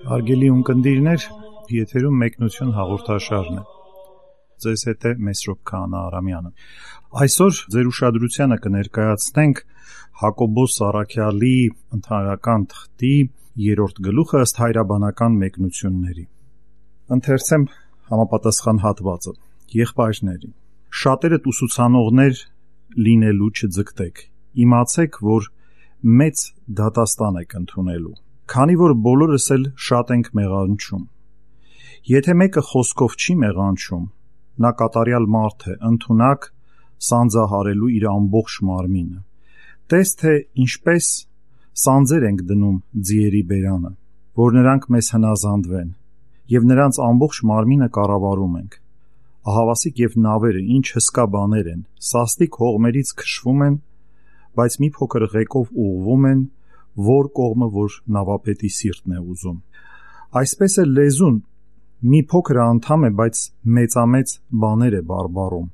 Հարգելի ունկնդիրներ, եթերում մեկնություն հաղորդաշարն է։ Ձեզ հետ է Մեսրոպ Քահանա Արամյանը։ Այսօր ձեր ուշադրությանը կներկայացնենք Հակոբոս Առաքյալի ընդհանրական թղթի 3-րդ գլուխը ըստ հայրաբանական մեկնությունների։ Ընթերցեմ համապատասխան հատվածը։ Եղբայրների, շատերդ ուսուցանողներ լինելու չձգտեք։ Իմացեք, որ մեծ դատաստան եք ընդունելու։ Քանի որ բոլորս էլ շատ ենք մեղանչում։ Եթե մեկը խոսքով չի մեղանչում, նա կատարյալ մարդ է, ընդունակ սանձահարելու իր ամբողջ մարմինը։ Տես թե ինչպես սանձեր ենք դնում ձիերի բերանը, որ նրանք մեզ հնազանդվեն, եւ նրանց ամբողջ մարմինը կառավարում ենք։ Ահավասիկ եւ նավերը ինչ հսկա բաներ են, սաստիկ հողմերից քշվում են, բայց մի փոքր ղեկով ուղղվում են, որ կողմը որ նավապետի սիրտն է ուզում։ Այսպես է լեզուն մի փոքր անդամ է, բայց մեծամեծ բաներ է բարբառում։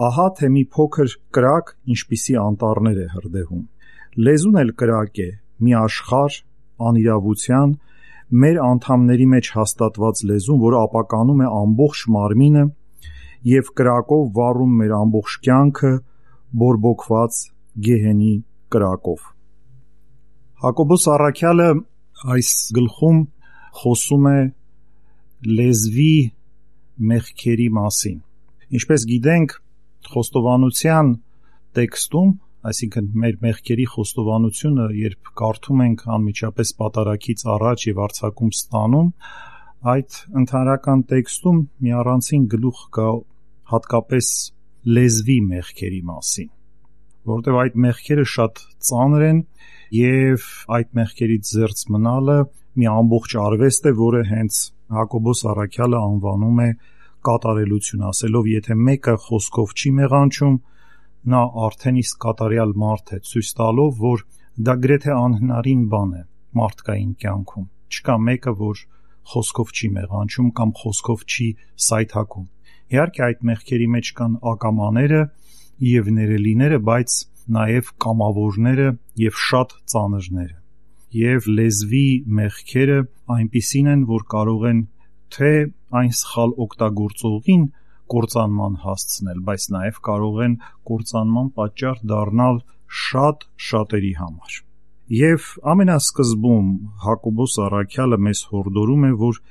Ահա թե մի փոքր կրակ ինչպիսի անտառներ է հրդեհում։ Լեզուն էլ կրակ է, մի աշխարհ անիրավության, մեր անդամների մեջ հաստատված լեզուն, որ ապականում է ամբողջ մարմինը եւ կրակով վառում մեր ամբողջ կյանքը, բորբոքված գեհենի կրակով։ Հակոբոս Առաքյալը այս գլխում խոսում է լեզվի մեղքերի մասին։ Ինչպես գիտենք, խոստովանության տեքստում, այսինքն մեր մեղքերի խոստովանությունը, երբ կարդում ենք անմիջապես պատարագից առաջ եւ արձակում ստանում, այդ ընդհանրական տեքստում մի առանցին գլուխ կա հատկապես լեզվի մեղքերի մասին, որովհետեւ այդ մեղքերը շատ ծանր են եւ այդ մեղքերից զերծ մնալը մի ամբողջ արվեստ է, որը հենց Հակոբոս Առաքյալը անվանում է կատարելություն, ասելով, եթե մեկը խոսքով չի մեղանչում, նա արդեն իսկ կատարյալ մարդ է, ցույց տալով, որ դա գրեթե անհնարին բան է մարդկային կյանքում։ Չկա մեկը, որ խոսքով չի մեղանչում կամ խոսքով չի սայթաքում։ Իհարկե այդ մեղքերի մեջ կան ակամաները եւ ներելիները, բայց նաև կամավորները եւ շատ ծանրները։ Եվ լեզվի մեղքերը այնպիսին են, որ կարող են թե այն սխալ օգտագործողին կործանման հասցնել, բայց նաև կարող են կործանման պատճառ դառնալ շատ շատերի համար։ Եվ ամենասկզբում Հակոբոս Առաքյալը մեզ հորդորում է, որ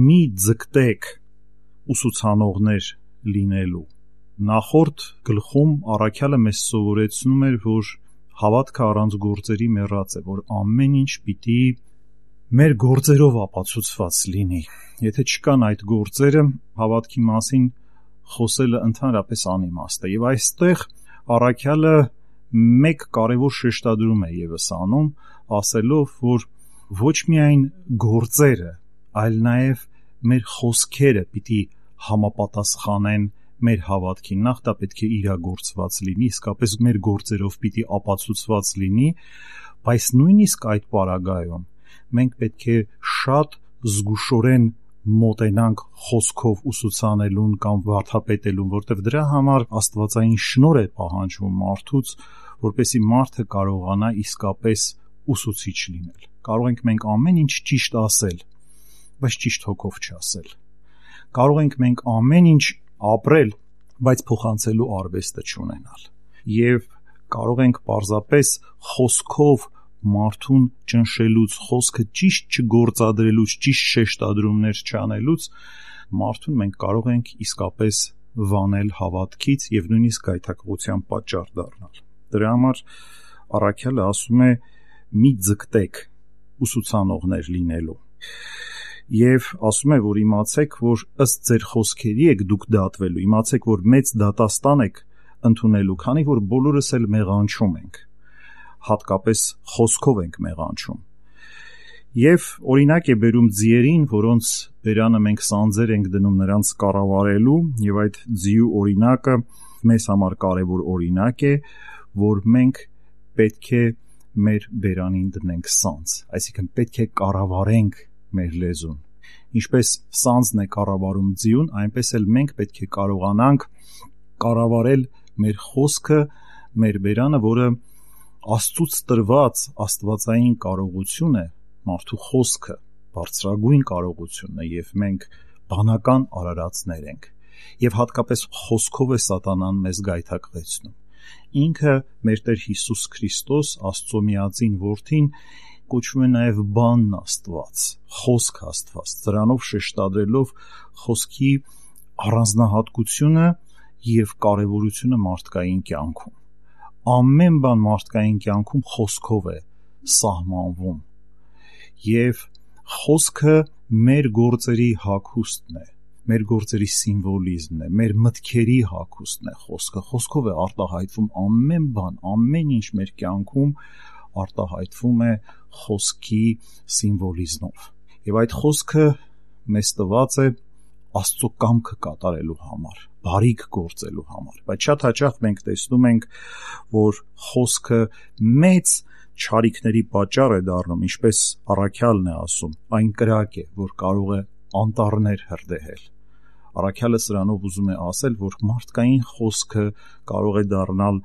մի ձգտեք ուսուցանողներ լինելու։ Նախորդ գլխում Առաքյալը մեզ սովորեցնում էր, որ հավատքը առանց գործերի մեռած է, որ ամեն ինչ պիտի մեր գործերով ապացուցված լինի։ Եթե չկան այդ գործերը, հավատքի մասին խոսելը ընդհանրապես անիմաստ է։ Եվ այստեղ Առաքյալը մեկ կարևոր շեշտադրում է եւս անում, ասելով, որ ոչ միայն գործերը, այլ նաև մեր խոսքերը պիտի համապատասխանեն մեր հավատքին, նախ դա պետք է իրագործված լինի, իսկապես մեր գործերով պիտի ապացուցված լինի, բայց նույնիսկ այդ պարագայում մենք պետք է շատ զգուշորեն մոտենանք խոսքով ուսուցանելուն կամ վարդապետելուն, որտեղ դրա համար աստվածային շնորհ է պահանջվում մարդուց, որպեսզի մարդը կարողանա իսկապես ուսուցիչ լինել։ Կարող ենք մենք ամեն ինչ ճիշտ ասել, բայց ճիշտ հոգով չասել։ Կարող ենք մենք ամեն ինչ ապրել, բայց փոխանցելու արվեստը չունենալ։ Եվ կարող ենք պարզապես խոսքով մարդուն ճնշելուց, խոսքը ճիշտ չգործադրելուց, ճիշտ շեշտադրումներ չանելուց, մարդուն մենք կարող ենք իսկապես վանել հավատքից եւ նույնիսկ գայթակղության պատճառ դառնալ։ Դրա համար Առաքյալը ասում է՝ մի ձգտեք ուսուցանողներ լինելու։ Եվ ասում է, որ իմացեք, որ ըստ ձեր խոսքերի եք դուք դատվելու, իմացեք, որ մեծ դատաստան եք ընդունելու, քանի որ բոլորս էլ մեղանչում ենք, հատկապես խոսքով ենք մեղանչում։ Եվ օրինակ է բերում ձիերին, որոնց բերանը մենք սանձեր ենք դնում նրանց կառավարելու, եւ այդ ձիու օրինակը մեզ համար կարևոր օրինակ է, որ մենք պետք է մեր բերանին դնենք սանձ, այսինքն պետք է կառավարենք մեր լեզուն։ Ինչպես սանձն է կառավարում ձիուն, այնպես էլ մենք պետք է կարողանանք կառավարել մեր խոսքը, մեր բերանը, որը Աստծուց տրված աստվածային կարողություն է, մարդու խոսքը բարձրագույն կարողություն է, եւ մենք բանական արարածներ ենք, եւ հատկապես խոսքով է սատանան մեզ գայթակղեցնում։ Ինքը մեր Տեր Հիսուս Քրիստոս, Աստծո միածին որդին, կոչվում է նաև բանն Աստված, խոսք Աստված, դրանով շեշտադրելով խոսքի առանձնահատկությունը եւ կարեւորությունը մարդկային կյանքում։ Ամեն բան մարդկային կյանքում խոսքով է սահմանվում, եւ խոսքը մեր գործերի հագուստն է, մեր գործերի սիմվոլիզմն է, մեր մտքերի հագուստն է խոսքը։ Խոսքով է արտահայտվում ամեն բան, ամեն ինչ մեր կյանքում արտահայտվում է խոսքի սիմվոլիզմով։ Եվ այդ խոսքը մեզ տված է Աստծո կամքը կատարելու համար, բարիք գործելու համար։ Բայց շատ հաճախ մենք տեսնում ենք, որ խոսքը մեծ չարիքների պատճառ է դառնում, ինչպես առաքյալն է ասում, այն կրակ է, որ կարող է անտառներ հրդեհել։ Առաքյալը սրանով ուզում է ասել, որ մարդկային խոսքը կարող է դառնալ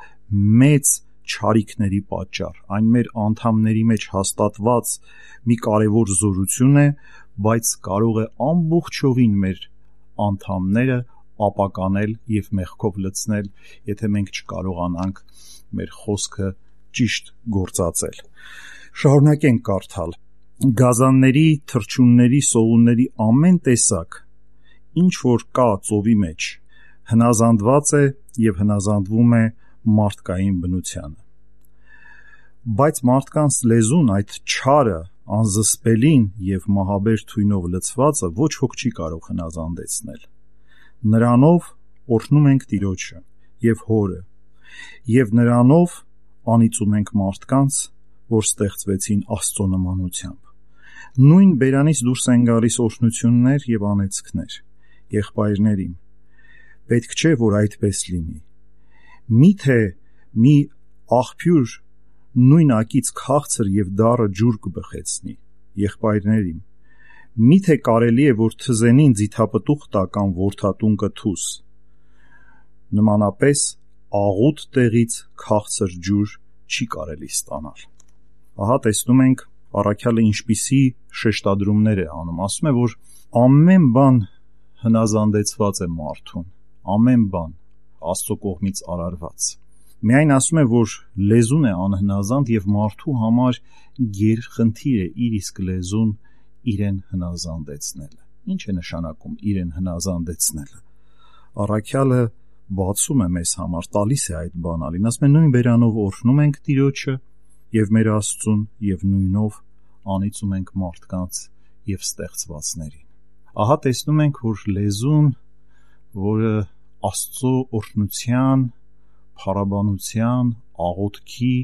մեծ չարիքների պատճառ։ Այն մեր անդամների մեջ հաստատված մի կարևոր զորություն է, բայց կարող է ամբողջովին մեր անդամները ապականել եւ մեղքով լցնել, եթե մենք չկարողանանք մեր խոսքը ճիշտ գործածել։ Շարունակենք կարդալ։ Գազանների, թռչունների, սողունների ամեն տեսակ, ինչ որ կա ծովի մեջ, հնազանդված է եւ հնազանդվում է մարդկային բնությանը։ Բայց մարդկանց լեզուն, այդ չարը, անզսպելին եւ մահաբեր թույնով լցվածը ոչ ոք չի կարող հնազանդեցնել։ Նրանով օրհնում ենք Տիրոջը եւ Հորը, եւ նրանով անիծում ենք մարդկանց, որ ստեղծվեցին Աստծո նմանությամբ։ Նույն բերանից դուրս են գալիս օրհնություններ եւ անեծքներ։ Եղբայրներին, պետք չէ, որ այդպես լինի։ Միթե մի աղբյուր նույն ակից քաղցր եւ դառը ջուր կբխեցնի։ Եղբայրներին, միթե կարելի է, որ թզենին ձիթապտուղ տա կամ որդատուն կթուս։ Նմանապես աղուտ տեղից քաղցր ջուր չի կարելի ստանալ։ Ահա տեսնում ենք առաքյալը ինչպիսի շեշտադրումներ է անում, ասում է, որ ամեն բան հնազանդեցված է մարդուն, ամեն բան Աստծո կողմից արարված։ Միայն ասում է, որ լեզուն է անհնազանդ եւ մարդու համար գերխնդիր է իր իսկ լեզուն իրեն հնազանդեցնելը։ Ինչ է նշանակում իրեն հնազանդեցնելը։ Առաքյալը բացում է մեզ համար, տալիս է այդ բանալին, ասում է նույն բերանով օրհնում ենք Տիրոջը եւ մեր Աստծուն եւ նույնով անիծում ենք մարդկանց եւ ստեղծվածներին։ Ահա տեսնում ենք, որ լեզուն, որը Աստծո օրհնության, փառաբանության, աղոթքի,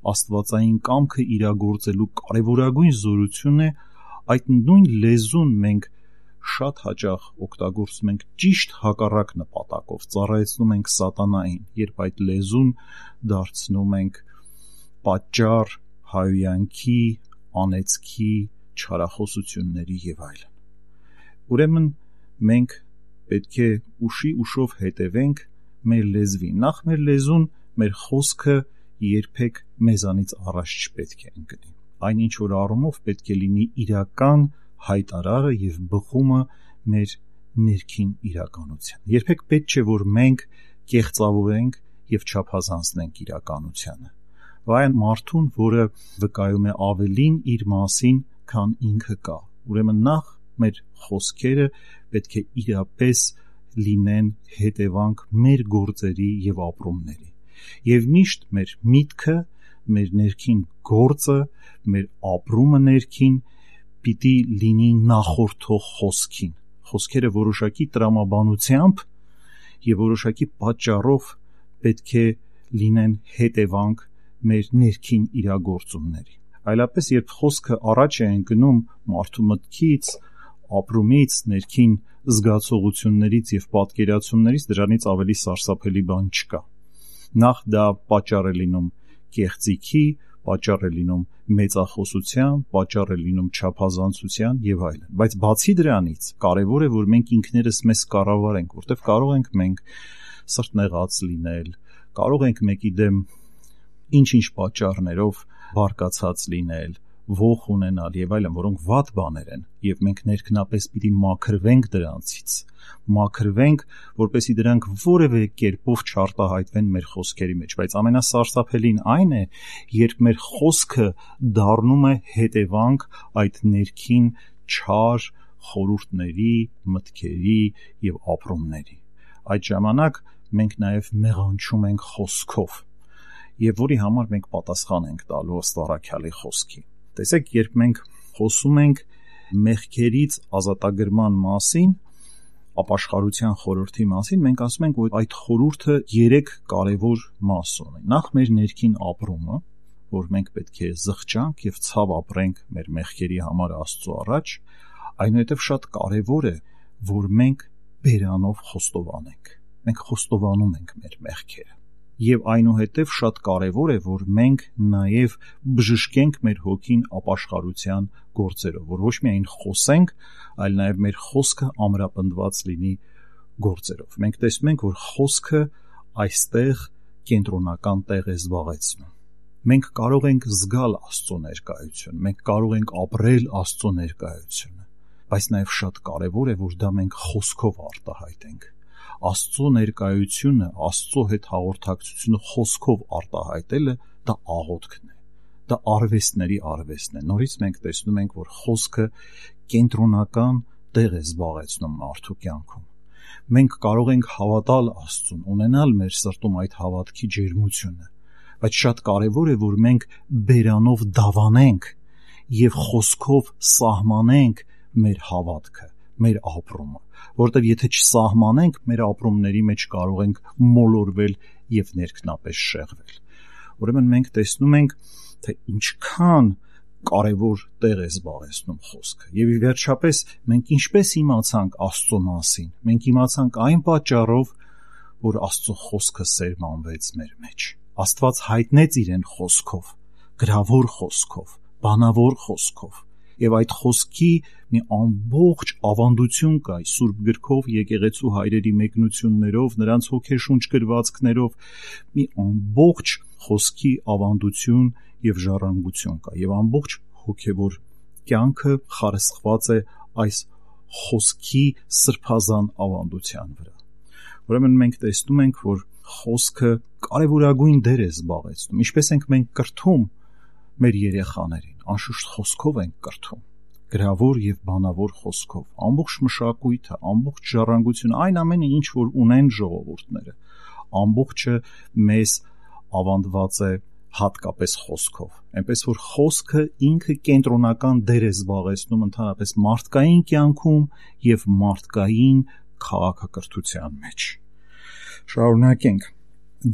աստվածային կամքը իրագործելու կարևորագույն զորություն է, այդ նույն լեզուն մենք շատ հաճախ օգտագործում ենք ճիշտ հակառակ նպատակով, ծառայեցնում ենք սատանային, երբ այդ լեզուն դարձնում ենք պատճառ հայհոյանքի, անեծքի, չարախոսությունների եւ այլն։ Ուրեմն մենք պետք է ուշով հետևենք մեր լեզվին։ Նախ մեր լեզուն, մեր խոսքը երբեք մեզանից առաջ չպետք է ընկնի։ Այն ինչ որ առումով պետք է լինի իրական հայտարարը եւ բխումը մեր ներքին իրականության։ Երբեք պետք չէ, որ մենք կեղծավորենք եւ չափազանցնենք իրականությանը։ Վայ մարդուն, որը վկայում է ավելին իր մասին, քան ինքը կա։ Ուրեմն նախ մեր խոսքերը պետք է իրապես լինեն հետևանք մեր գործերի եւ ապրումների։ Եվ միշտ մեր միտքը, մեր ներքին գործը, մեր ապրումը ներքին պիտի լինի նախորդող խոսքին։ Խոսքերը որոշակի տրամաբանությամբ եւ որոշակի պատճառով պետք է լինեն հետևանք մեր ներքին իրագործումների։ Այլապես երբ խոսքը առաջ է ընկնում մարդու մտքից, ապրումից, ներքին զգացողություններից եւ պատկերացումներից դրանից ավելի սարսափելի բան չկա։ Նախ դա պատճառ է լինում կեղծիքի, պատճառ է լինում մեծախոսության, պատճառ է լինում չափազանցության եւ այլն։ Բայց բացի դրանից, կարեւոր է, որ մենք ինքներս մեզ կառավարենք, որտեղ կարող ենք մենք սրտնեղած լինել, կարող ենք մեկի դեմ ինչ-ինչ պատճառներով բարկացած լինել, ոխ ունենալ եւ այլն, որոնք վատ բաներ են, եւ մենք ներքնապես պիտի մաքրվենք դրանցից, որպեսզի դրանք որևէ կերպով չարտահայտվեն մեր խոսքերի մեջ, բայց ամենասարսափելին այն է, երբ մեր խոսքը դառնում է հետևանք այդ ներքին չար խորհուրդների, մտքերի եւ ապրումների։ Այդ ժամանակ մենք նաեւ մեղանչում ենք խոսքով, եւ որի համար մենք պատասխան ենք տալու ըստ առաքյալի խոսքի։ Տեսեք, երբ մենք խոսում ենք մեղքերից ազատագրման մասին, ապաշխարության խորհրդի մասին, մենք ասում ենք, որ այդ խորհուրդը 3 կարևոր մաս ունի։ Նախ մեր ներքին ապրումը, որ մենք պետք է զղջանք եւ ցավ ապրենք մեր մեղքերի համար Աստծո առաջ, այնուհետև շատ կարևոր է, որ մենք բերանով խոստովանենք։ Մենք խոստովանում ենք մեր մեղքերը։ Եվ այնուհետև շատ կարևոր է, որ մենք նաև բժշկենք մեր հոգին ապաշխարության գործերով, որ ոչ միայն խոսենք, այլ նաև մեր խոսքը ամրապնդված լինի գործերով։ Մենք տեսնում ենք, որ խոսքը այստեղ կենտրոնական տեղ է զբաղեցնում։ Մենք կարող ենք զգալ Աստծո ներկայություն, մենք կարող ենք ապրել Աստծո ներկայությունը, բայց նաև շատ կարևոր է, որ դա մենք խոսքով արտահայտենք։ Աստծո ներկայությունը, Աստծո հետ հաղորդակցությունը խոսքով արտահայտելը դա աղոթքն է, դա արվեստների արվեստն է։ Նորից մենք տեսնում ենք, որ խոսքը կենտրոնական տեղ է զբաղեցնում մարդու կյանքում։ Մենք կարող ենք հավատալ Աստծուն, ունենալ մեր սրտում այդ հավատքի ջերմությունը, բայց շատ կարևոր է, որ մենք բերանով դավանենք եւ խոսքով սահմանենք մեր հավատքը, մեր ապրումը, որտեղ եթե չսահմանենք, մեր ապրումների մեջ կարող ենք մոլորվել եւ ներքնապես շեղվել։ Ուրեմն մենք տեսնում ենք, թե ինչքան կարևոր տեղ է զբաղեցնում խոսքը։ Եվ ի վերջապես մենք ինչպես իմացանք Աստծո մասին։ Մենք իմացանք այն պատճառով, որ Աստծո խոսքը սերմանվեց մեր մեջ։ Աստված հայտնեց իրեն խոսքով, գրավոր խոսքով, բանավոր խոսքով։ Եվ այդ խոսքի մի ամբողջ ավանդություն կա Սուրբ գրքով, եկեղեցու հայրերի մեկնություններով, նրանց հոգեշունչ գրվածքներով, մի ամբողջ խոսքի ավանդություն եւ ժառանգություն կա, եւ ամբողջ հոգեվոր կյանքը խարսխված է այս խոսքի սրբազան ավանդության վրա։ Ուրեմն մենք տեսնում ենք, որ խոսքը կարևորագույն դեր է զբաղեցնում։ Ինչպես ենք մենք կրթում մեր երեխաներին, անշուշտ խոսքով ենք կրթում, գրավոր եւ բանավոր խոսքով, ամբողջ մշակույթը, ամբողջ ժառանգությունը, այն ամենը, ինչ որ ունեն ժողովուրդները, ամբողջը մեզ ավանդված է հատկապես խոսքով, այնպես որ խոսքը ինքը կենտրոնական դեր է զբաղեցնում ընդհանրապես մարդկային կյանքում եւ մարդկային քաղաքակրթության մեջ։ Շարունակենք։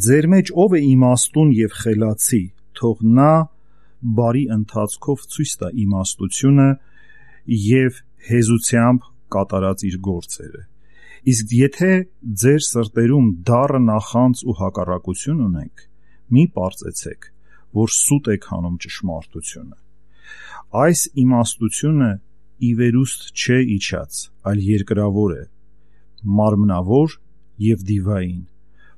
Ձեր մեջ ով է իմաստուն եւ խելացի, թող նա բարի ընթացքով ցույց տա իմաստությունը եւ հեզությամբ կատարած իր գործերը։ Իսկ եթե ձեր սրտերում դառը նախանձ ու հակառակություն ունեք, մի պարծեցեք, որ սուտ եք հանում ճշմարտությունը։ Այս իմաստությունը ի վերուստ չէ իջած, այլ երկրավոր է, մարմնավոր եւ դիվային,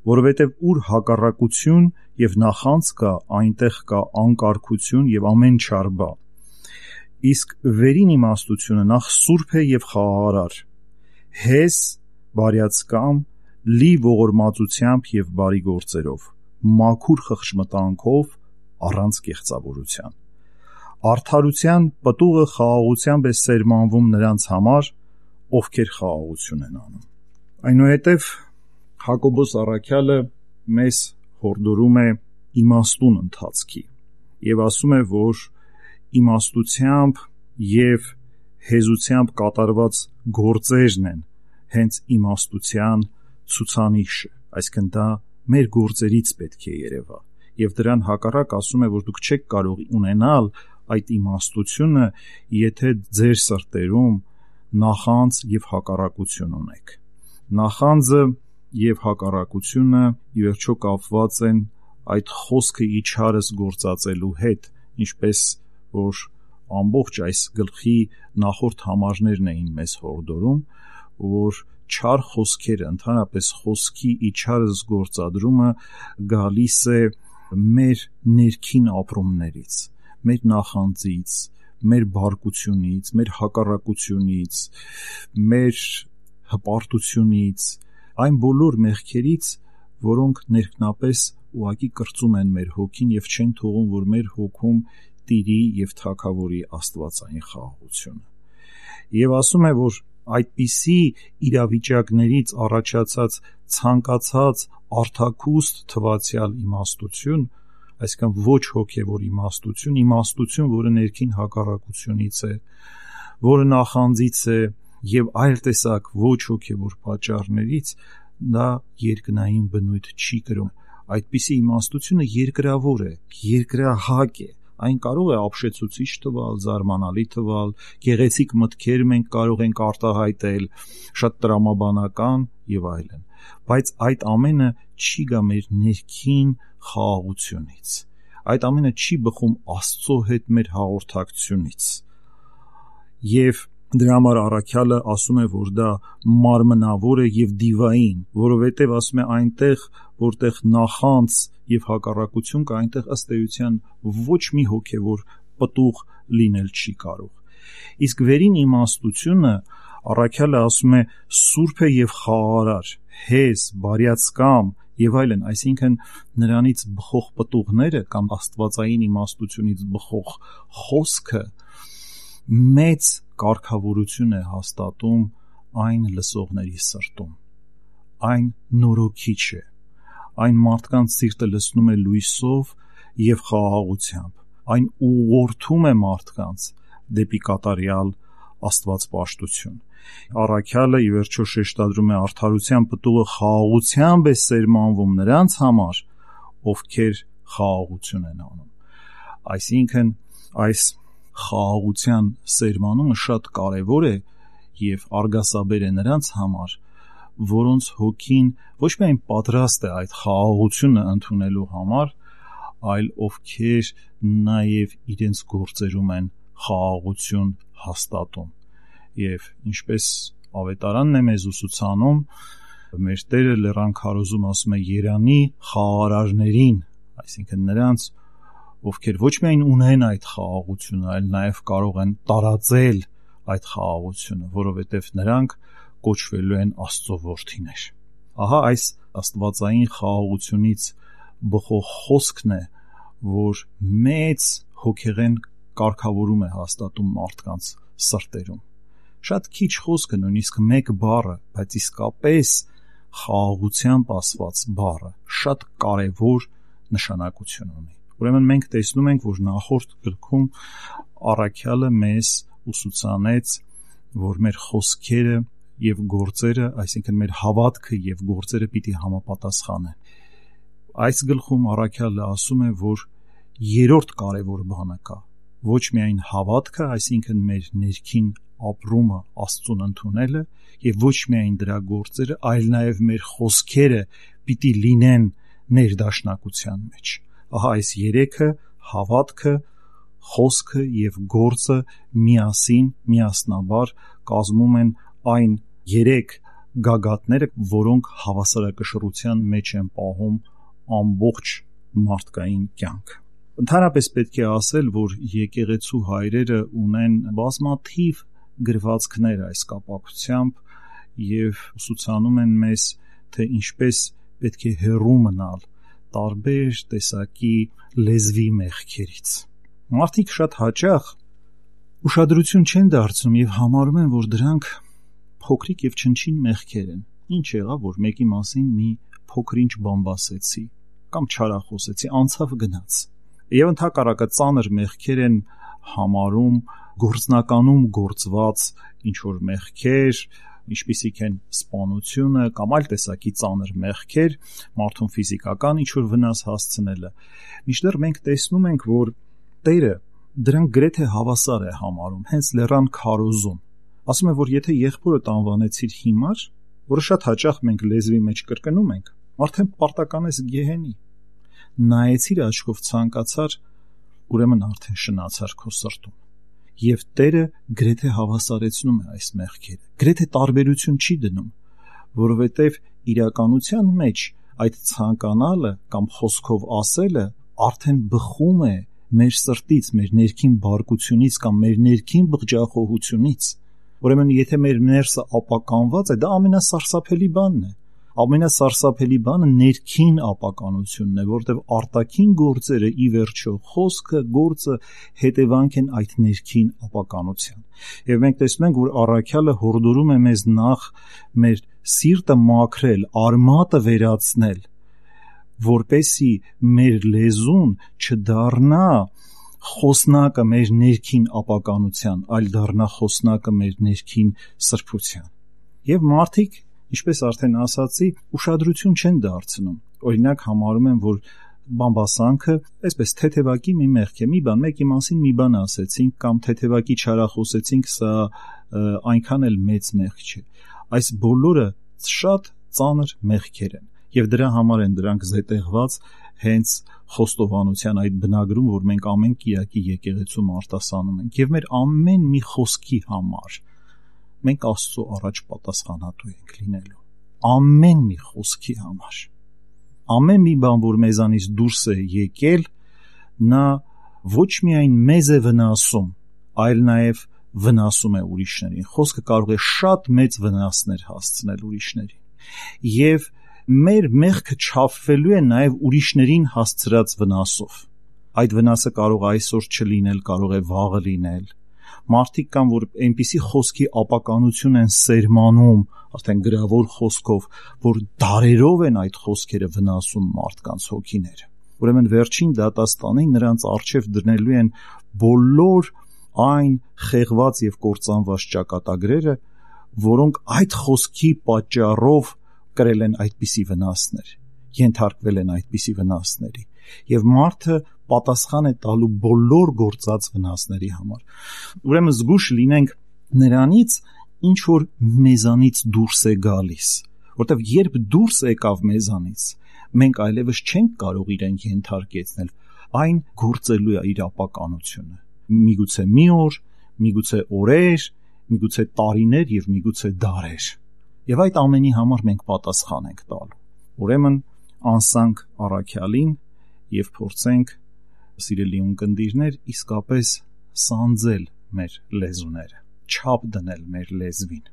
որովհետեւ ուր հակառակություն եւ նախանձ կա, այնտեղ կա անկարգություն եւ ամեն չար բան։ Իսկ վերին իմաստությունը նախ սուրբ է եւ խաղաղարար, հես, բարյացկամ, լի ողորմածությամբ եւ բարի գործերով, մաքուր խղճմտանքով, առանց կեղծավորության։ Արդարության պտուղը խաղաղությամբ է սերմանվում նրանց համար, ովքեր խաղաղություն են անում։ Այնուհետև Հակոբոս առաքյալը մեզ հորդորում է իմաստուն ընթացքի եւ ասում է, որ իմաստությամբ եւ հեզությամբ կատարված գործերն են հենց իմաստության ցուցանիշը, այսինքն դա մեր գործերից պետք է երևա։ Եվ դրան հակառակ ասում է, որ դուք չեք կարող ունենալ այդ իմաստությունը, եթե ձեր սրտերում նախանձ եւ հակառակություն ունեք։ Նախանձը եւ հակառակությունը ի վերջո կապված են այդ խոսքը իջարս գործածելու հետ, ինչպես որ ամբողջ այս գլխի նախորդ համարներն էին մեզ հորդորում, որ չար խոսքերը, ընդհանրապես խոսքի իջարս գործադրումը գալիս է մեր ներքին ապրումներից, մեր նախանձից, մեր բարկությունից, մեր հակառակությունից, մեր հպարտությունից, այն բոլոր մեղքերից, որոնք ներքնապես ուղղակի կրծում են մեր հոգին եւ չեն թողում, որ մեր հոգում տիրի եւ թագավորի աստվածային խաղաղությունը։ Եվ ասում է, որ այդպիսի իրավիճակներից առաջացած ցանկացած արտաքուստ թվացյալ իմաստություն, այսինքն ոչ հոգևոր իմաստություն, որը ներքին հակառակությունից է, որը նախանձից է եւ այլ տեսակ ոչ հոգևոր պատճառներից, դա երկնային բնույթ չի կրում։ Այդպիսի իմաստությունը երկրավոր է, երկրահակ է։ Այն կարող է ապշեցուցիչ թվալ, զարմանալի թվալ, գեղեցիկ մտքեր մենք կարող ենք արտահայտել, շատ տրամաբանական եւ այլն, բայց այդ ամենը չի գա մեր ներքին խաղաղությունից, այդ ամենը չի բխում Աստծո հետ մեր հաղորդակցությունից։ Եվ դրա համար առաքյալը ասում է, որ դա մարմնավոր է եւ դիվային, որովհետեւ ասում է այնտեղ, որտեղ նախանձ եւ հակառակություն կա, այնտեղ ըստ էության ոչ մի հոգևոր պտուղ լինել չի կարող։ Իսկ վերին իմաստությունը առաքյալը ասում է սուրբ է եւ խաղաղարար, հեզ, բարյացկամ եւ այլն, այսինքն նրանից բխող պտուղները կամ աստվածային իմաստությունից բխող խոսքը մեծ կարգավորություն է հաստատում այն լսողների սրտում, այն նորոգիչ է, այն մարդկանց սիրտը լցնում է լույսով եւ խաղաղությամբ, այն ուղղորդում է մարդկանց դեպի կատարյալ աստվածպաշտություն։ Առաքյալը ի վերջո շեշտադրում է արդարության պտուղը խաղաղությամբ է սերմանվում նրանց համար, ովքեր խաղաղություն են անում։ Այսինքն այս խաղաղության սերմանումը շատ կարևոր է եւ արգասաբեր է նրանց համար, որոնց հոգին ոչ միայն պատրաստ է այդ խաղաղությունը ընդունելու համար, այլ ովքեր նաեւ իրենց գործերում են խաղաղություն հաստատում։ Եվ ինչպես ավետարանն է մեզ ուսուցանում, մեր Տերը լեռան քարոզում ասում է երանի խաղաղարարներին, այսինքն նրանց, ովքեր ոչ միայն ունեն այդ խաղաղությունը, այլ նաև կարող են տարածել այդ խաղաղությունը, որովհետև նրանք կոչվելու են Աստծո որդիներ։ Ահա այս աստվածային խաղաղությունից բխող խոսքն է, որ մեծ հոգեղեն կարգավորում է հաստատում մարդկանց սրտերում։ Շատ քիչ խոսքը, նույնիսկ մեկ բառը, բայց իսկապես խաղաղությամբ ասված բառը շատ կարևոր նշանակություն ունի։ Ուրեմն մենք տեսնում ենք, որ նախորդ գրքում առաքյալը մեզ ուսուցանեց, որ մեր խոսքերը եւ գործերը, այսինքն մեր հավատքը եւ գործերը պիտի համապատասխանեն։ Այս գլխում առաքյալը ասում է, որ երրորդ կարևոր բանը կա, ոչ միայն հավատքը, այսինքն մեր ներքին ապրումը Աստծուն ընդունելը եւ ոչ միայն դրա գործերը, այլ նաեւ մեր խոսքերը պիտի լինեն ներդաշնակության մեջ։ Ահա այս երեքը՝ հավատքը, խոսքը եւ գործը միասնաբար կազմում են այն երեք գագաթները, որոնք հավասարակշռության մեջ են պահում ամբողջ մարդկային կյանքը։ Ընդհանրապես պետք է ասել, որ եկեղեցու հայրերը ունեն բազմաթիվ գրվածքներ այս կապակցությամբ եւ ուսուցանում են մեզ, թե ինչպես պետք է հեռու մնալ տարբեր տեսակի լեզվի մեղքերից։ Մարդիկ շատ հաճախ ուշադրություն չեն դարձնում եւ համարում են, որ դրանք փոքրիկ եւ չնչին մեղքեր են։ Ինչ եղավ, որ մեկի մասին մի փոքրինչ բամբասեցի կամ չարախոսեցի, անցավ գնաց։ Եվ ընդհակառակը ծանր մեղքեր են համարում գործնականում գործված ինչ որ մեղքեր, ինչպիսիք են սպանությունը կամ այլ տեսակի ծանր մեղքեր, մարդուն ֆիզիկական ինչ որ վնաս հասցնելը։ Մինչդեռ մենք տեսնում ենք, որ Տերը դրանք գրեթե հավասար է համարում, հենց լեռան քարոզում, Ասում է, որ եթե եղբորդ անվանեցիր հիմար, որը շատ հաճախ մենք լեզվի մեջ կրկնում ենք, արդեն պարտականես գեհենի։ Նայեցիր աչքով ցանկացար, ուրեմն արդեն շնացար քո սրտում։ Եվ Տերը գրեթե հավասարեցնում է այս մեղքերը, գրեթե տարբերություն չի դնում, որովհետև իրականության մեջ այդ ցանկանալը կամ խոսքով ասելը արդեն բխում է մեր սրտից, մեր ներքին բարկությունից կամ մեր ներքին բղջախոհությունից։ Ուրեմն եթե մեր ներսը ապականված է, դա ամենասարսափելի բանն է։ Ամենասարսափելի բանը ներքին ապականությունն է, որտեղ արտաքին գործերը ի վերջո խոսքը, գործը հետևանք են այդ ներքին ապականության։ Եվ մենք տեսնում ենք, որ առաքյալը հորդորում է մեզ նախ մեր սիրտը մաքրել, արմատը վերացնել, որպեսզի մեր լեզուն չդառնա խոսնակը մեր ներքին ապականության, այլ դառնա խոսնակը մեր ներքին սրբության։ Եվ մարդիկ, ինչպես արդեն ասացի, ուշադրություն չեն դարձնում։ Օրինակ համարում են, որ բամբասանքը այսպես թեթևակի մի մեղք է, մի բան, մեկի մասին մի բան ասեցինք կամ թեթևակի չարախոսեցինք, սա այնքան էլ մեծ մեղք չէ։ Այս բոլորը շատ ծանր մեղքեր են եւ դրա համար են դրանք զետեղված հենց խոստովանության այդ բնագրում, որ մենք ամեն կիրակի եկեղեցում արտասանում ենք եւ մեր ամեն մի խոսքի համար մենք Աստծո առաջ պատասխանատու ենք լինելու, ամեն մի խոսքի համար, ամեն մի բան, որ մեզանից դուրս է եկել, նա ոչ միայն մեզ է վնասում, այլ նաեւ վնասում է ուրիշներին։ Խոսքը կարող է շատ մեծ վնասներ հասցնել ուրիշներին եւ մեր մեղքը չափվելու է նաև ուրիշներին հասցրած վնասով։ Այդ վնասը կարող է այսօր չլինել, կարող է վաղը լինել։ Մարդիկ կան, որ այնպիսի խոսքի ապականություն են սերմանում, արդեն գրավոր խոսքով, որ դարերով են այդ խոսքերը վնասում մարդկանց հոգիները։ Ուրեմն վերջին դատաստանին նրանց առջև դնելու են բոլոր այն խեղված եւ կործանված ճակատագրերը, որոնք այդ խոսքի պատճառով կրել են այդպիսի վնասներ, ենթարկվել են այդպիսի վնասների, եւ մարդը պատասխան է տալու բոլոր գործած վնասների համար։ Ուրեմն զգուշ լինենք նրանից, ինչ որ մեզանից դուրս է գալիս, որտեղ երբ դուրս եկավ մեզանից, մենք այլևս չենք կարող իրեն ենթարկեցնել, այն գործելու է իր ապականությունը։ Միգուցե մի օր, միգուցե օրեր, միգուցե տարիներ եւ միգուցե դարեր։ Եվ այդ ամենի համար մենք պատասխան ենք տալու։ Ուրեմն անսանք առաքյալին եւ փորձենք, սիրելի ունկնդիրներ, իսկապես սանձել մեր լեզուները, չափ դնել մեր լեզվին,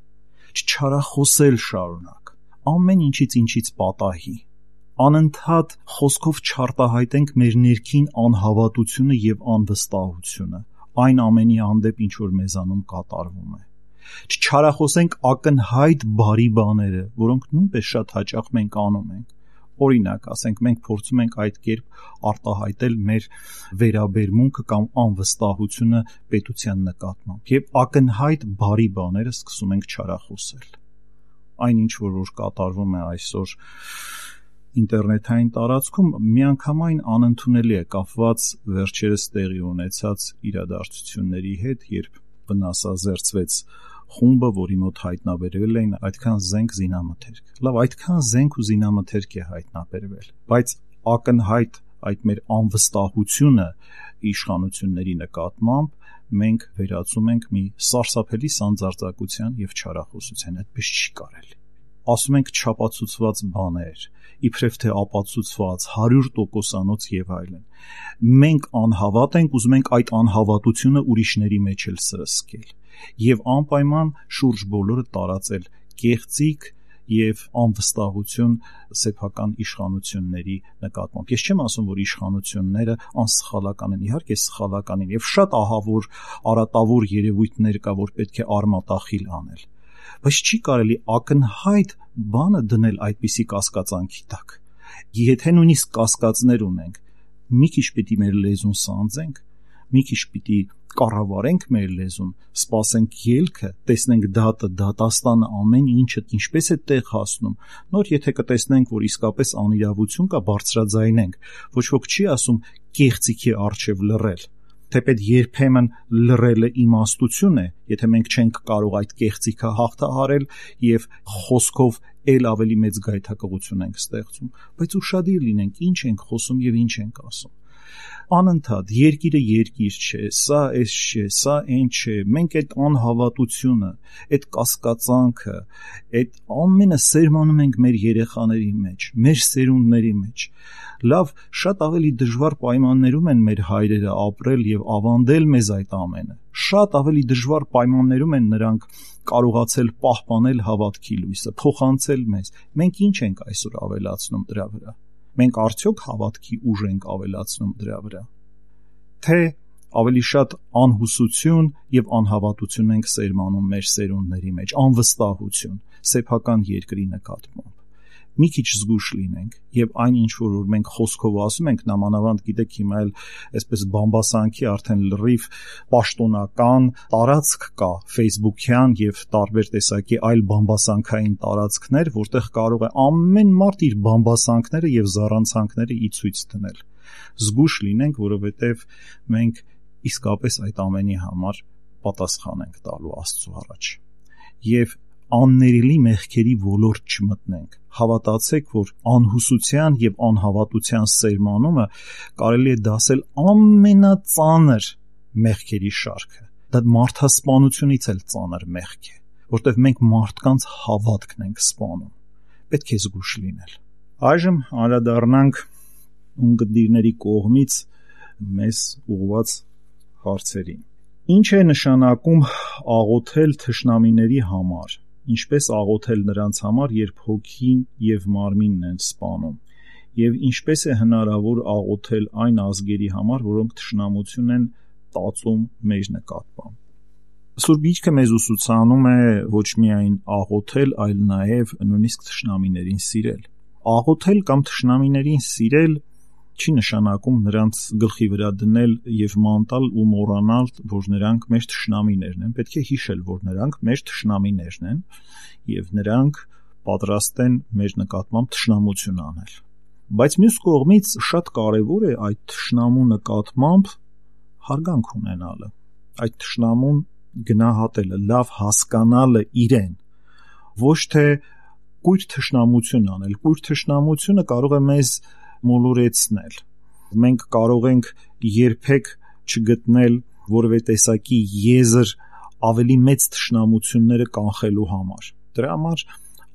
չչարախոսել շարունակ, ամեն ինչից պատահի, անընդհատ խոսքով չարտահայտենք մեր ներքին անհավատությունը եւ անվստահությունը, այն ամենի հանդեպ, ինչ որ մեզանում կատարվում է։ Չչարախոսենք ակնհայտ բարի բաները, որոնք նույնպես շատ հաճախ մենք անում ենք։ Օրինակ, ասենք, մենք փորձում ենք այդ կերպ արտահայտել մեր վերաբերմունքը կամ անվստահությունը պետության նկատմամբ, եւ ակնհայտ բարի բաները սկսում ենք չարախոսել։ Այն ինչ որ կատարվում է այսօր ինտերնետային տարածքում, միանգամայն անընդունելի է կապված վերջերս տեղի ունեցած իրադարձությունների հետ, երբ վնասազերծվեց խումբը, որի մոտ հայտնաբերվել էին այդքան զենք զինամթերք։ Լավ, այդքան զենք ու զինամթերք է հայտնաբերվել, բայց ակնհայտ այդ մեր անվստահությունը իշխանությունների նկատմամբ մենք վերածում ենք մի սարսափելի սանձարձակության եւ չարախոսության։ Այդպես չի կարելի։ Ասում ենք չապացուցված բաներ, իբրև թե ապացուցված 100%-անոց եւ այլն։ Մենք անհավատ ենք, ուզում ենք այդ անհավատությունը ուրիշների մեջ էլ սրսկել եւ անպայման շուրջ բոլորը տարածել կեղծիք եւ անվստահություն սեփական իշխանությունների նկատմամբ։ Ես չեմ ասում, որ իշխանությունները անսխալական են, իհարկե սխալական են եւ շատ ահավոր արատավոր երևույթներ կա, որ պետք է արմատախիլ անել, բայց չի կարելի ակնհայտ բանը դնել այդպիսի կասկածանքի տակ։ Եթե նույնիսկ կասկածներ ունենք, մի քիչ պիտի մեր լեզուն սանձենք, մի քիչ պիտի կառավարենք մեր լեզուն, սպասենք ելքը, տեսնենք դատը, դատաստանը, ամեն ինչը ինչպես է տեղ հասնում։ Նոր եթե կտեսնենք, որ իսկապես անիրավություն կա, բարձրաձայնենք։ Ոչ ոք չի ասում կեղծիքի առջև լռել։ թեպետ երբեմն լռելը իմաստություն է, եթե մենք չենք կարող այդ կեղծիքը հաղթահարել եւ խոսքով ել ավելի մեծ գայթակղություն ենք ստեղծում, բայց ուշադիր լինենք ինչ ենք խոսում եւ ինչ ենք ասում։ Անընդհատ երկիրը երկիր չէ, սա էս չէ, սա այն չէ, մենք այդ անհավատությունը, այդ կասկածանքը, այդ ամենը սերմանում ենք մեր երեխաների մեջ, մեր սերունդների մեջ։ Լավ, շատ ավելի դժվար պայմաններում են մեր հայրերը ապրել եւ ավանդել մեզ այդ ամենը։ Շատ ավելի դժվար պայմաններում են նրանք կարողացել պահպանել հավատքի լույսը, փոխանցել մեզ։ Մենք ինչ ենք այսօր ավելացնում դրա վրա։ Մենք արդյոք հավատքի ուժ ենք ավելացնում դրա վրա, թե ավելի շատ անհուսություն եւ անհավատություն ենք սերմանում մեր սերունդների մեջ, անվստահություն սեփական երկրի նկատմամբ։ Մի քիչ զգուշ լինենք եւ այն ինչ որ մենք խոսքով ասում ենք, նամանավանդ գիտեք հիմա էլ այսպես բամբասանքի արդեն լրիվ պաշտոնական տարածք կա Facebook-յան եւ տարբեր տեսակի այլ բամբասանքային տարածքներ, որտեղ կարող է ամեն մարդ իր բամբասանքները եւ զառանցանքները ի ցույց դնել։ Զգուշ լինենք, որովհետեւ մենք իսկապես այդ ամենի համար պատասխան ենք տալու Աստծո առաջ։ Եվ աններելի մեղքերի ոլորտ չմտնենք։ Հավատացեք, որ անհուսության եւ անհավատության սերմանումը կարելի է դասել ամենածանր մեղքերի շարքը։ Դա մարդասպանությունից էլ ծանր մեղք է, որտեղ մենք մարդկանց հավատքն ենք սպանում։ Պետք է զգուշ լինել։ Այժմ անդրադառնանք ունկնդիրների կողմից մեզ ուղղված հարցերին։ Ինչ է նշանակում աղոթել թշնամիների համար։ Ինչպես աղոթել նրանց համար, երբ հոգին եւ մարմինն են սպանում, եւ ինչպես է հնարավոր աղոթել այն ազգերի համար, որոնք թշնամություն են տածում մեր նկատմամբ։ Սուրբ Գիրքը մեզ ուսուցանում է ոչ միայն աղոթել, այլ նաեւ նույնիսկ թշնամիներին սիրել։ Աղոթել կամ թշնամիներին սիրել չի նշանակում նրանց գլխի վրա դնել եւ մանտալ ու մոռանալ, որ նրանք մեր թշնամիներն են։ Պետք է հիշել, որ նրանք մեր թշնամիներն են եւ նրանք պատրաստ են մեր նկատմամբ թշնամություն անել։ Բայց մյուս կողմից շատ կարեւոր է այդ թշնամու նկատմամբ հարգանք ունենալը, այդ թշնամուն գնահատելը, լավ հասկանալը իրեն, ոչ թե կույր թշնամություն անել։ Կույր թշնամությունը կարող է մեզ մոլորեցնել։ Մենք կարող ենք երբեք չգտնել որևէ տեսակի եզր ավելի մեծ թշնամությունները կանխելու համար։ Դրա համար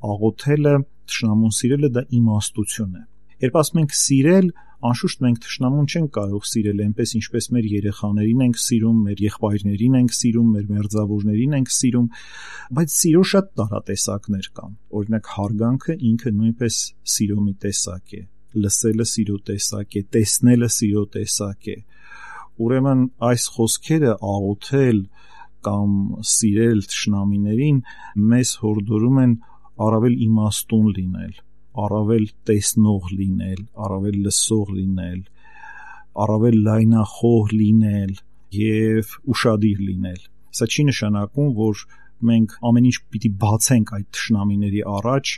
աղոթելը, թշնամուն սիրելը դա իմաստություն է։ Երբ ասում ենք սիրել, անշուշտ մենք թշնամուն չենք կարող սիրել այնպես, ինչպես մեր երեխաներին ենք սիրում, մեր եղբայրներին ենք սիրում, մեր մերձավորներին ենք սիրում, բայց սիրո շատ տարատեսակներ կան։ Օրինակ հարգանքը ինքը նույնպես սիրո մի տեսակ է։ Լսելը սիրո տեսակ է, տեսնելը սիրո տեսակ է։ Ուրեմն այս խոսքերը աղոթել կամ սիրել թշնամիներին մեզ հորդորում են առավել իմաստուն լինել, առավել տեսնող լինել, առավել լսող լինել, առավել լայնախոհ լինել եւ ուշադիր լինել։ Սա չի նշանակում, որ մենք ամեն ինչ պիտի բացենք այդ թշնամիների առաջ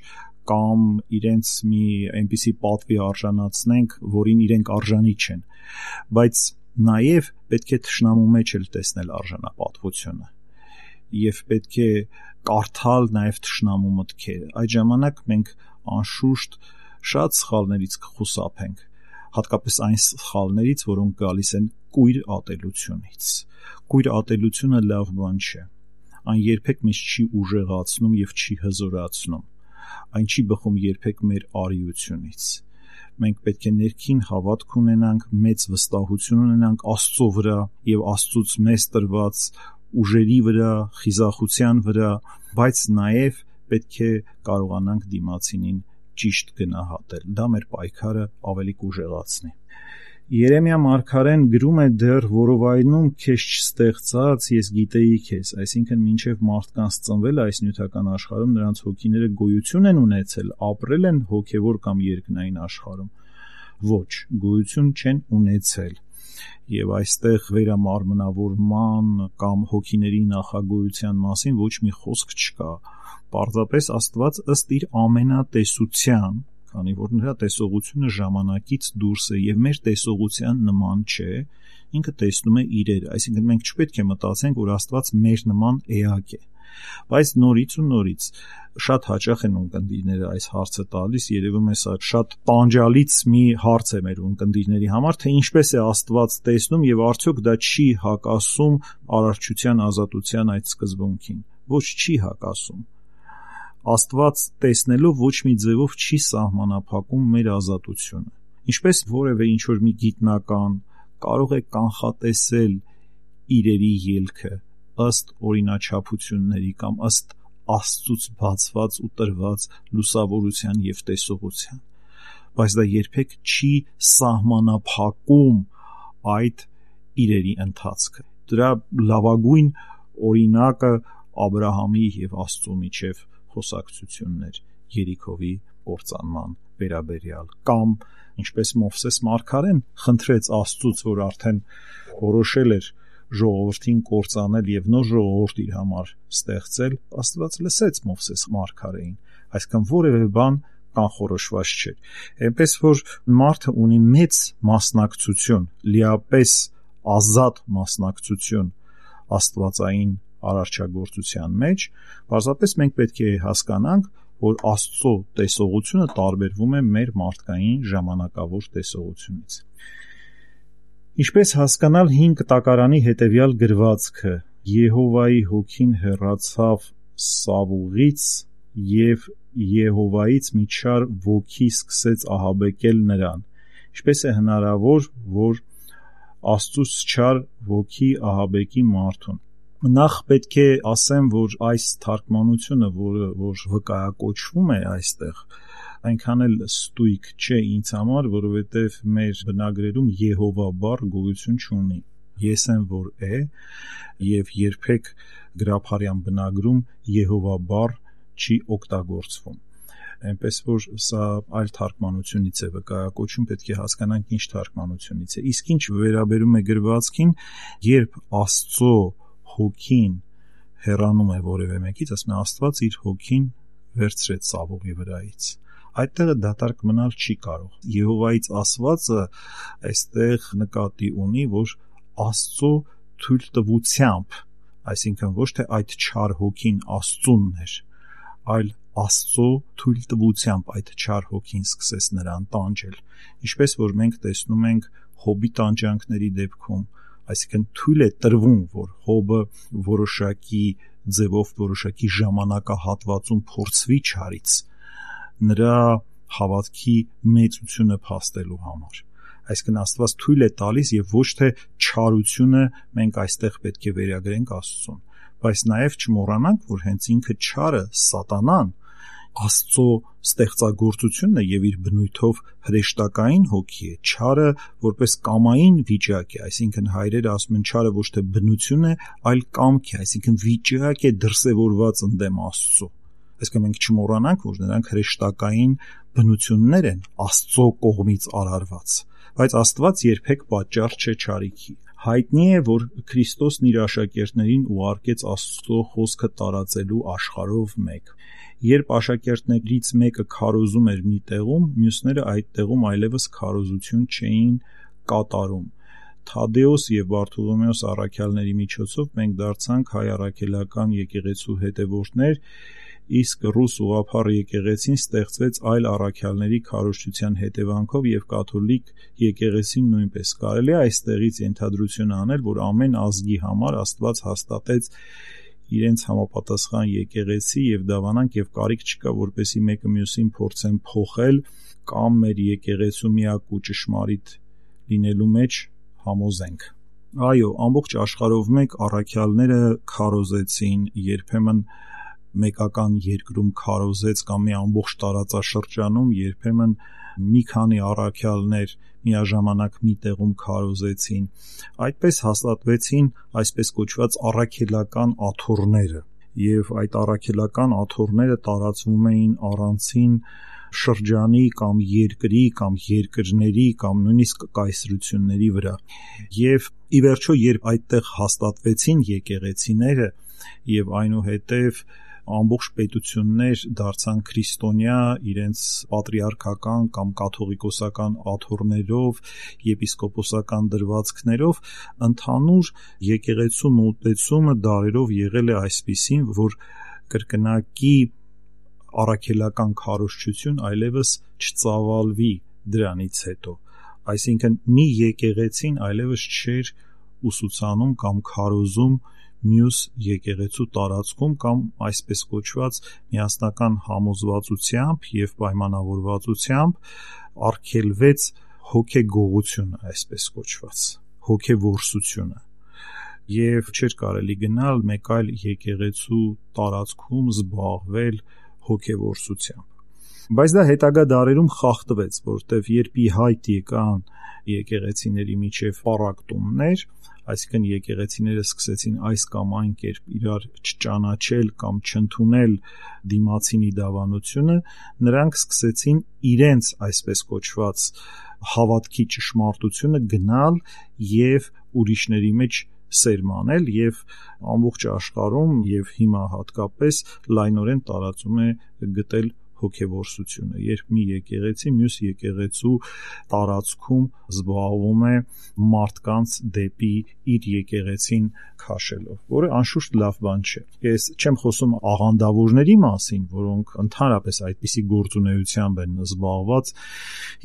կամ իրենց մի այնպիսի պատվի արժանացնենք, որին իրենք արժանի չեն, բայց նաև պետք է թշնամու մեջ էլ տեսնել արժանապատվությունը եւ պետք է կարդալ նաև թշնամու մտքերը։ Այդ ժամանակ մենք անշուշտ շատ սխալներից կխուսափենք, հատկապես այն սխալներից, որոնք գալիս են կույր ատելությունից։ Կույր ատելությունը լավ բան չէ։ Այն երբեք մեզ չի ուժեղացնում եւ չի հզորացնում։ Այն չի բխում երբեք մեր արիությունից։ Մենք պետք է ներքին հավատք ունենանք, մեծ վստահություն ունենանք Աստծո վրա եւ Աստծուց մեզ տրված ուժերի վրա, խիզախության վրա, բայց նաեւ պետք է կարողանանք դիմացինին ճիշտ գնահատել։ Դա մեր պայքարը ավելի կուժեղացնի։ Երեմիա մարգարեն գրում է դեռ որովայնում քեզ չստեղծած ես գիտեի քեզ, այսինքն մինչև մարդկանց ծնվել այս նյութական աշխարհում նրանց հոգիները գոյություն են ունեցել, ապրել են հոգևոր կամ երկնային աշխարհում։ Ոչ, գոյություն չեն ունեցել։ Եվ այստեղ վերամարմնավորման կամ հոգիների նախագոյության մասին ոչ մի խոսք չկա։ Պարզապես Աստված ըստ իր ամենատեսության քանի որ նրա տեսողությունը ժամանակից դուրս է եւ մեր տեսողության նման չէ, ինքը տեսնում է իրեր, այսինքն մենք չպետք է մտածենք, որ Աստված մեր նման էակ է։ Բայց նորից ու նորից շատ հաճախ են ունկնդիրները այս հարցը տալիս, երևում է սա շատ տանջալից մի հարց է մեր ունկնդիրների համար, թե ինչպես է Աստված տեսնում եւ արդյոք դա չի հակասում արարչության ազատության այդ սկզբունքին։ Ոչ, չի հակասում։ Աստված տեսնելով ոչ մի ձևով չի սահմանափակում մեր ազատությունը։ Ինչպես որևէ ինչ-որ մի գիտնական կարող է կանխատեսել իրերի ելքը ըստ օրինաչափությունների կամ ըստ Աստծուց բացված ու տրված լուսավորության եւ տեսողության, բայց դա երբեք չի սահմանափակում այդ իրերի ընթացքը։ Դրա լավագույն օրինակը Աբրահամի եւ Աստծո միջև խոսակցությունն էր Երիքովի կործանման վերաբերյալ, կամ ինչպես Մովսես մարգարեն խնդրեց Աստծուց, որ արդեն որոշել էր ժողովրդին կործանել եւ նոր ժողովուրդ իր համար ստեղծել, Աստված լսեց Մովսես մարգարեին, այսինքն որևէ բան կանխորոշված չէր։ Այնպես որ մարդը ունի մեծ մասնակցություն, լիապես ազատ մասնակցություն աստվածային արարչագործության մեջ, պարզապես մենք պետք է հասկանանք, որ Աստծո տեսողությունը տարբերվում է մեր մարդկային ժամանակավոր տեսողությունից։ Ինչպես հասկանալ 5 տակարանի հետևյալ գրվածքը. Եհովայի հոգին հեռացավ Սավուղից եւ Եհովայից մի չար ոգի սկսեց ահաբեկել նրան։ Ինչպես է հնարավոր, որ Աստծուց չար ոգի ահաբեկի մարդուն։ Նախ պետք է ասեմ, որ այս թարգմանությունը, որ վկայակոչվում է այստեղ, այնքան էլ ստույգ չէ ինձ համար, որովհետև մեր բնագրերում Եհովա բառ գոյություն չունի։ Ես եմ, որ է, եւ երբեք գրաբարյան բնագրում Եհովա բառ չի օգտագործվում։ Այնպես որ սա այլ թարգմանությունից է վկայակոչում, պետք է հասկանանք ինչ թարգմանությունից է։ Իսկ ինչ վերաբերում է գրվածքին, երբ Աստծո հոգին հեռանում է որևէ մեկից, ասում է Աստված իր հոգին վերցրեց Սավուղի վրայից։ Այդտեղը դատարկ մնալ չի կարող։ Եհովայից ասվածը այստեղ նկատի ունի, որ Աստծո թույլտվությամբ, այսինքն ոչ թե այդ չար հոգին Աստծունն էր, այլ Աստծո թույլտվությամբ այդ չար հոգին սկսեց նրան տանջել, ինչպես որ մենք տեսնում ենք Հոբի տանջանքների դեպքում, այսինքն թույլ է տրվում, որ Հոբը որոշակի ձևով, որոշակի ժամանակահատվածում փորձվի չարից, նրա հավատքի մեծությունը փաստելու համար։ Այսինքն Աստված թույլ է տալիս եւ ոչ թե չարությունը մենք այստեղ պետք է վերագրենք Աստծուն, բայց նաեւ չմոռանանք, որ հենց ինքը չարը, Սատանան, Աստծո ստեղծագործությունն է եւ իր բնույթով հրեշտակային հոգի է։ Չարը որպես կամային վիճակ է, այսինքն հայրերը ասում են չարը ոչ թե բնություն է, այլ կամք է, այսինքն վիճակ է դրսևորված ընդդեմ Աստծո։ Այսինքն մենք չմոռանանք, որ նրանք հրեշտակային բնություններ են Աստծո կողմից արարված, բայց Աստված երբեք պատճառ չէ չարիքի։ Հայտնի է, որ Քրիստոսն իր աշակերտներին ուղարկեց Աստծո խոսքը տարածելու աշխարհով մեկ։ Երբ աշակերտներից մեկը քարոզում էր մի տեղում, մյուսները այդ տեղում այլևս քարոզություն չէին կատարում։ Թադեոս եւ Բարթոլոմեոս առաքյալների միջոցով մենք դարձանք հայ առաքելական եկեղեցու հետևորդներ, իսկ ռուս ուղղափառ եկեղեցին ստեղծվեց այլ առաքյալների քարոզչության հետևանքով եւ կաթոլիկ եկեղեցին նույնպես։ Կարելի է այստեղից ենթադրություն անել, որ ամեն ազգի համար Աստված հաստատեց իրենց համապատասխան եկեղեցի եւ դավանանք եւ կարիք չկա, որպեսի մեկը մյուսին փորձեն փոխել կամ մեր եկեղեցու միակ ու ճշմարիտ լինելու մեջ համոզենք։ Այո, ամբողջ աշխարհով մեկ առաքյալները քարոզեցին, երբեմն մեկական երկրում քարոզեց կամ մի ամբողջ տարածաշրջանում, երբեմն մի քանի առաքյալներ միաժամանակ մի տեղում քարոզեցին։ Այդպես հաստատվեցին այսպես կոչված առաքելական աթոռները, եւ այդ առաքելական աթոռները տարածվում էին առանցին շրջանի կամ երկրի կամ երկրների կամ նույնիսկ կայսրությունների վրա։ Եվ ի վերջո, երբ այդտեղ հաստատվեցին եկեղեցիները եւ այնուհետեւ ամբողջ պետություններ դարձան քրիստոնյա իրենց պատրիարքական կամ կաթողիկոսական աթոռներով, եպիսկոպոսական դրվածքներով, ընդհանուր եկեղեցու մոտեցումը դարերով եղել է այսպիսին, որ կրկնակի առաքելական քարոզչություն այլևս չծավալվի դրանից հետո, այսինքն մի եկեղեցին այլևս չէր ուսուցանում կամ քարոզում մյուս եկեղեցու տարածքում կամ այսպես կոչված միասնական համոզվածությամբ եւ պայմանավորվածությամբ արգելվեց հոգեգողությունը, այսպես կոչված հոգեվորսությունը, եւ չէր կարելի գնալ մեկ այլ եկեղեցու տարածքում զբաղվել հոգեվորսությամբ։ Բայց դա հետագա դարերում խախտվեց, որտեվ երբ ի հայտ եկան եկեղեցիների միջև պառակտումներ, այսինքն եկեղեցիները սկսեցին այս կամ այն կերպ իրար չճանաչել կամ չընդունել դիմացինի դավանությունը, նրանք սկսեցին իրենց այսպես կոչված հավատքի ճշմարտությունը գնալ եւ ուրիշների մեջ սերմանել եւ ամբողջ աշխարհում եւ հիմա հատկապես լայնորեն տարածում է գտել հոգեվորսությունը, երբ մի եկեղեցի մյուս եկեղեցու տարածքում զբաղվում է մարդկանց դեպի իր եկեղեցին քաշելով, որը անշուշտ լավ բան չէ։ Ես չեմ խոսում աղանդավորների մասին, որոնք ընդհանրապես այդպիսի գործունեությամբ են զբաղված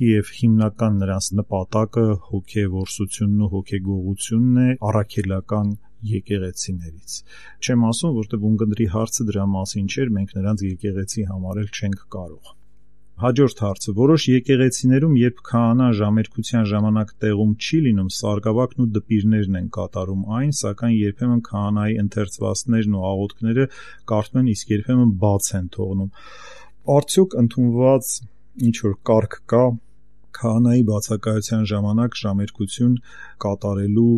եւ հիմնական նրանց նպատակը հոգեվորսությունն ու հոգեգողությունն է առաքելական եկեղեցիներից։ Չեմ ասում, որտեղ ունկնդրի հարցը դրա մասին չէր, մենք նրանց եկեղեցի համարել չենք կարող։ Հաջորդ հարցը. որոշ եկեղեցիներում, երբ քահանա ժամերկության ժամանակ տեղում չի լինում, սարգսակն ու դպիրներն են կատարում այն, սակայն երբեմն քահանայի ընթերցվածքներն ու աղոթքները կարդում են, իսկ երբեմն բաց են թողնում։ Արդյոք ընդունված ինչ որ կարգ կա քահանայի բացակայության ժամանակ ժամերկություն կատարելու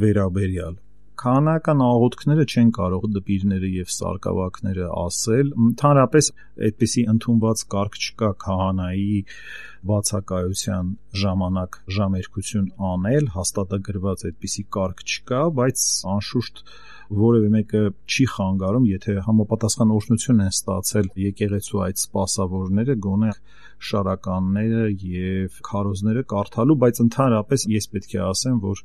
վերաբերյալ։ Քահանայական աղոթքները չեն կարող դպիրները եւ սարգսակները ասել, ընդհանրապես այդպիսի ընդունված կարգ չկա քահանայի բացակայության ժամանակ ժամերկություն անել, հաստատագրված այդպիսի կարգ չկա, բայց անշուշտ որևէ մեկը չի խանգարում, եթե համապատասխան օրհնություն են ստացել եկեղեցու այդ սպասավորները, գոնե շարականները եւ քարոզները կարդալու, բայց ընդհանրապես ես պետք է ասեմ, որ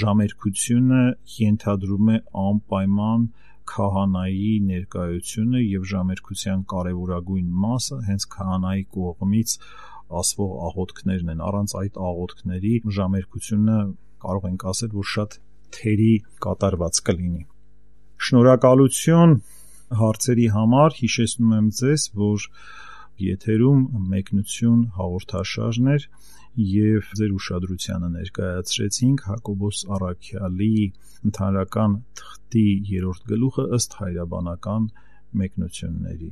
ժամերկությունը ենթադրում է անպայման քահանայի ներկայությունը եւ ժամերկության կարեւորագույն մասը հենց քահանայի կողմից ասվող աղոթքներն են։ Առանց այդ աղոթքների ժամերկությունը կարող ենք ասել, որ շատ թերի կատարված կլինի։ Շնորհակալություն հարցերի համար, հիշեցնում եմ ձեզ, որ եթերում մեկնություն հաղորդաշարն էր եւ ձեր ուշադրությանը ներկայացրեցինք Հակոբոս Առաքյալի ընդհանրական թղթի 3-րդ գլուխը ըստ հայրաբանական մեկնությունների։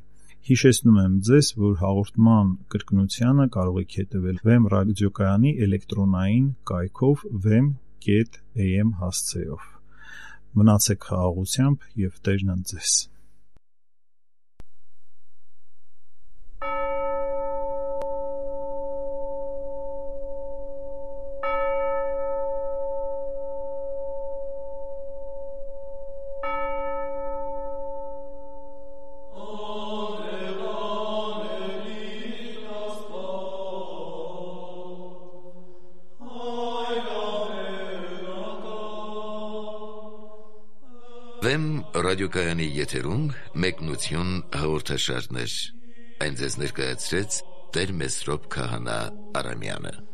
Հիշեցնում եմ ձեզ, որ հաղորդման կրկնությանը կարող եք հետևել Վեմ ռադիոկայանի էլեկտրոնային կայքով vem.am հասցեով։ Մնացեք խաղաղությամբ եւ Տերն ընդ ձեզ։ Վեմ ռադիոկայանի եթերում մեկնություն հաղորդաշարներ։ Այն ձեզ ներկայացրեց Տեր Մեսրոպ Քահանա Արամյանը։